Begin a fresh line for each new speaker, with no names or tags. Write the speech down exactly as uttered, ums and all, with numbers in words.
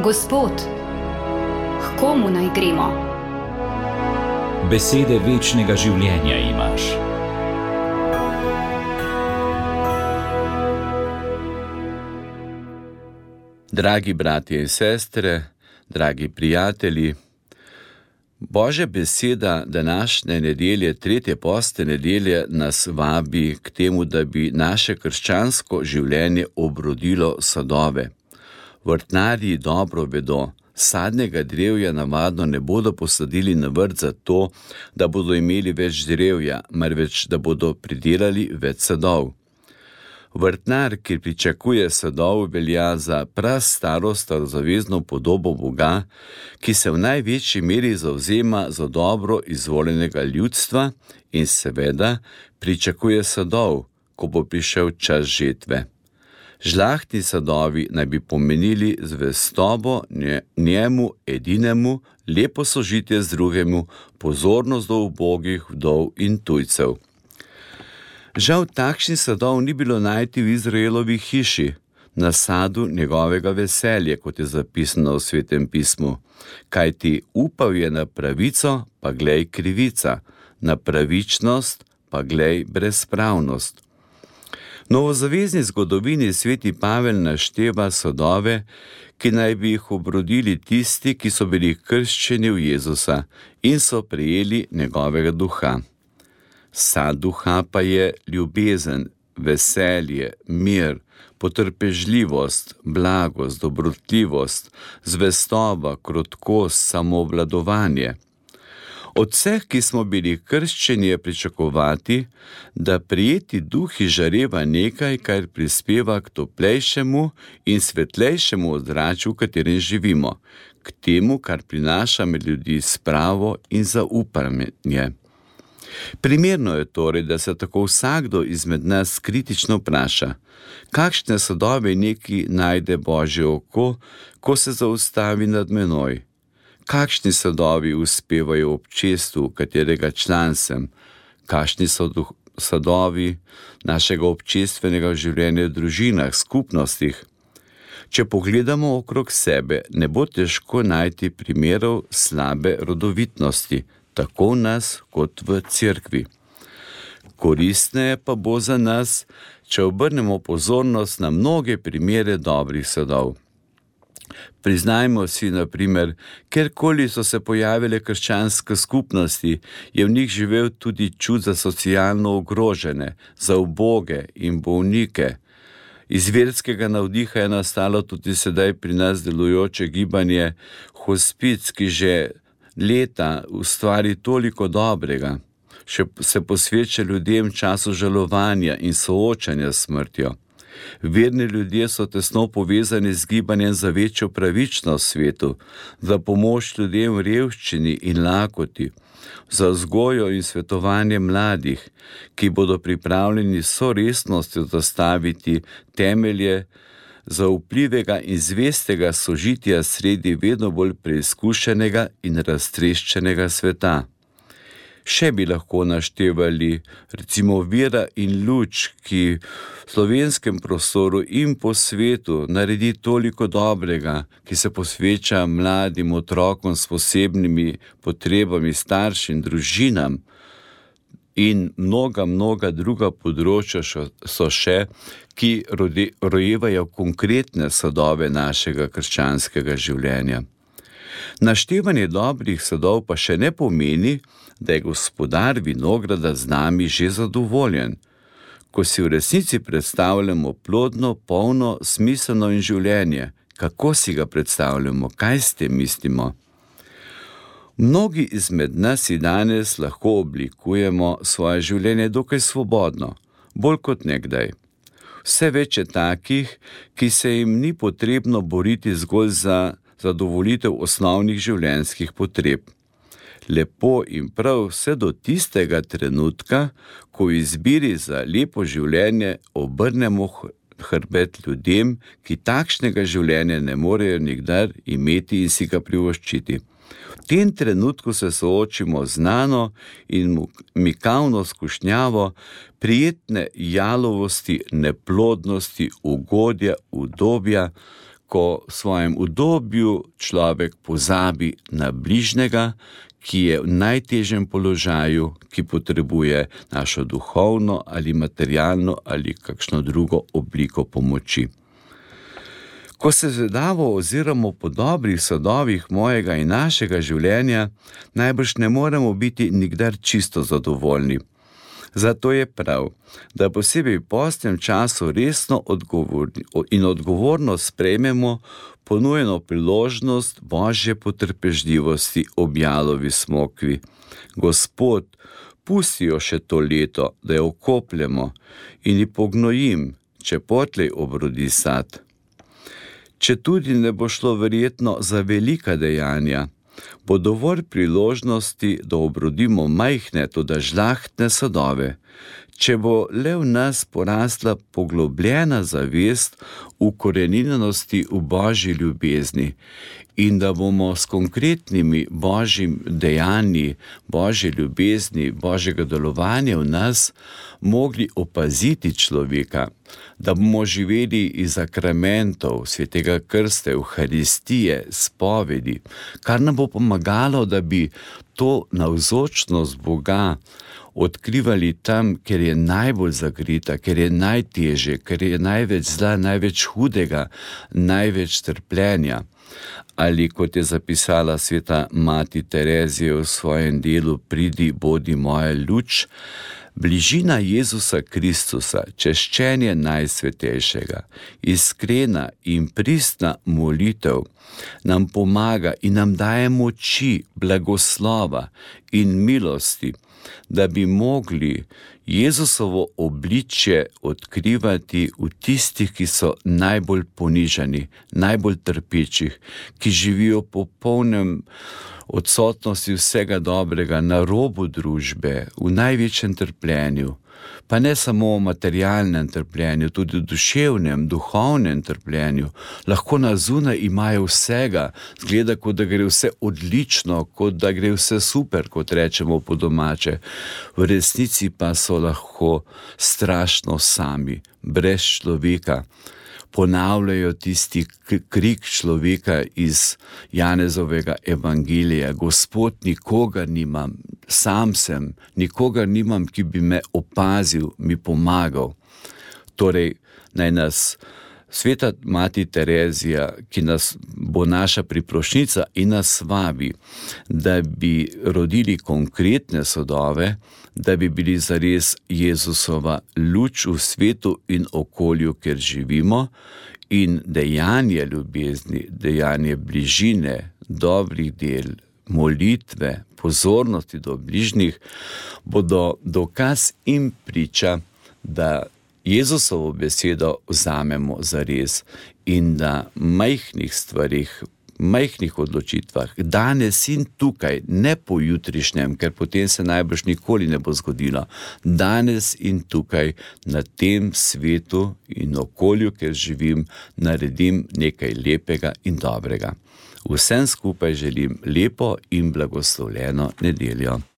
Gospod, k komu naj gremo?
Besede večnega življenja imaš.
Dragi bratje in sestre, dragi prijatelji, Božja beseda današnje nedelje, tretje postne nedelje, nas vabi k temu, da bi naše krščansko življenje obrodilo sadove. Vrtnarji dobro vedo, sadnega drevja navadno ne bodo posadili na vrt zato, da bodo imeli več drevja, marveč da bodo pridelali več sadov. Vrtnar, ki pričakuje sadov, velja za prastaro starozavezno podobo Boga, ki se v največji meri zavzema za dobro izvoljenega ljudstva in seveda pričakuje sadov, ko bo prišel čas žetve. Žlahtni sadovi naj bi pomenili zvestobo njemu edinemu, lepo sožitje z drugemu, pozornost do ubogih, vdov in tujcev. Žal takšnih sadov ni bilo najti v Izraelovi hiši, na sadu njegovega veselja, kot je zapisano v Svetem pismu, kajti upal je na pravico, pa glej krivica, na pravičnost, pa glej brezpravnost. V novozavezni zgodovini sveti Pavel našteva sadove, ki naj bi jih obrodili tisti, ki so bili krščeni v Jezusa in so prejeli njegovega duha. Sad duha pa je ljubezen, veselje, mir, potrpežljivost, blagost, dobrotljivost, zvestoba, krotkost, samoobvladovanje. Od vseh, ki smo bili krščeni, je pričakovati, da prijeti duh izžareva nekaj, kar prispeva k toplejšemu in svetlejšemu ozračju, v katerem živimo, k temu, kar prinaša med ljudi spravo in zaupanje. Primerno je torej, da se tako vsakdo izmed nas kritično vpraša, kakšne sadove neki najde Božje oko, ko se zaustavi nad menoj. Kakšni sadovi uspevajo v občestvu, katerega član sem, kakšni so duh, sadovi našega občestvenega življenja v družinah, skupnostih. Če pogledamo okrog sebe, ne bo težko najti primerov slabe rodovitnosti, tako v nas kot v cerkvi. Koristneje pa bo za nas, če obrnemo pozornost na mnoge primere dobrih sadov. Priznajmo si, na primer, kjerkoli so se pojavile krščanske skupnosti, je v njih živel tudi čut za socialno ogrožene, za uboge in bolnike. Iz verskega navdiha je nastalo tudi sedaj pri nas delujoče gibanje Hospic, ki že leta ustvari toliko dobrega, še se posveča ljudem času žalovanja in soočanja s smrtjo. Verni ljudje so tesno povezani z gibanjem za večjo pravičnost v svetu, za pomoč ljudem v revščini in lakoti, za vzgojo in svetovanje mladih, ki bodo pripravljeni s vso resnostjo zastaviti temelje za vplivega in zvestega sožitja sredi vedno bolj preizkušenega in raztreščenega sveta. Še bi lahko naštevali recimo Vera in Luč, ki v slovenskem prostoru in po svetu naredi toliko dobrega, ki se posveča mladim otrokom s posebnimi potrebami, staršem, družinam, in mnoga, mnoga druga področja so še, ki rojevajo konkretne sadove našega krščanskega življenja. Naštevanje dobrih sadov pa še ne pomeni, da je gospodar vinograda z nami že zadovoljen. Ko si v resnici predstavljamo plodno, polno, smiselno in življenje, kako si ga predstavljamo, kaj s tem mislimo? Mnogi izmed nas si danes lahko oblikujemo svoje življenje dokaj svobodno, bolj kot nekdaj. Vse več je takih, ki se jim ni potrebno boriti zgolj za zadovoljitev osnovnih življenjskih potreb. Lepo in prav vse do tistega trenutka, ko v izbiri za lepo življenje obrnemo hrbet ljudem, ki takšnega življenja ne morejo nikdar imeti in si ga privoščiti. V tem trenutku se soočimo z znano in mikavno skušnjavo prijetne jalovosti, neplodnosti, ugodja, udobja, ko v svojem udobju človek pozabi na bližnjega, ki je v najtežjem položaju, ki potrebuje našo duhovno ali materialno ali kakšno drugo obliko pomoči. Ko se zvedavo oziramo po dobrih sadovih mojega in našega življenja, najbrž ne moremo biti nikdar čisto zadovoljni. Zato je prav, da posebej v postnem času resno in odgovorno sprejmemo ponujeno priložnost Božje potrpežljivosti ob jalovi smokvi. Gospod, pusti jo še to leto, da jo okopljemo in ji pognojim, če potlej obrodi sad. Če tudi ne bo šlo verjetno za velika dejanja, bo dovolj priložnosti, da obrodimo majhne, toda žlahtne sadove, če bo le v nas porasla poglobljena zavest ukoreninjenosti v Božji ljubezni in da bomo s konkretnimi Božjim dejanji, Božje ljubezni, Božjega delovanja v nas mogli opaziti človeka, da bomo živeli iz sakramentov, svetega krsta, Evharistije, spovedi, kar nam bo pomagalo, da bi to navzočnost Boga odkrivali tam, ker je najbolj zagrita, ker je najtežje, ker je največ zla, največ hudega, največ trpljenja. Ali kot je zapisala sveta mati Terezija v svojem delu Pridi, bodi moja luč, bližina Jezusa Kristusa, češčenje Najsvetejšega, iskrena in pristna molitev nam pomaga in nam daje moči, blagoslova in milosti, da bi mogli Jezusovo obličje odkrivati v tistih, ki so najbolj ponižani, najbolj trpečih, ki živijo po polnem odsotnosti vsega dobrega, na robu družbe, v največjem trpljenju. Pa ne samo v materialnem trpljenju, tudi v duševnem, duhovnem trpljenju. Lahko na zunaj imajo vsega, zgleda, kot da gre vse odlično, kot da gre vse super, kot rečemo po domače. V resnici pa so lahko strašno sami, brez človeka. Ponavljajo tisti krik človeka iz Janezovega evangelija: Gospod, nikogar nimam, sam sem, nikogar nimam, ki bi me opazil, mi pomagal. Torej, naj nas sveta mati Terezija, ki nas bo naša priprošnjica in nas vabi, da bi rodili konkretne sadove, da bi bili zares Jezusova luč v svetu in okolju, kjer živimo, in dejanje ljubezni, dejanje bližine, dobrih del, molitve, pozornosti do bližnjih, bodo dokaz in priča, da Jezusovo besedo vzamemo zares in da majhnih stvarih, majhnih odločitvah, danes in tukaj, ne po jutrišnjem, ker potem se najbrž nikoli ne bo zgodilo, danes in tukaj na tem svetu in okolju, kjer živim, naredim nekaj lepega in dobrega. Vsem skupaj želim lepo in blagoslovljeno nedeljo.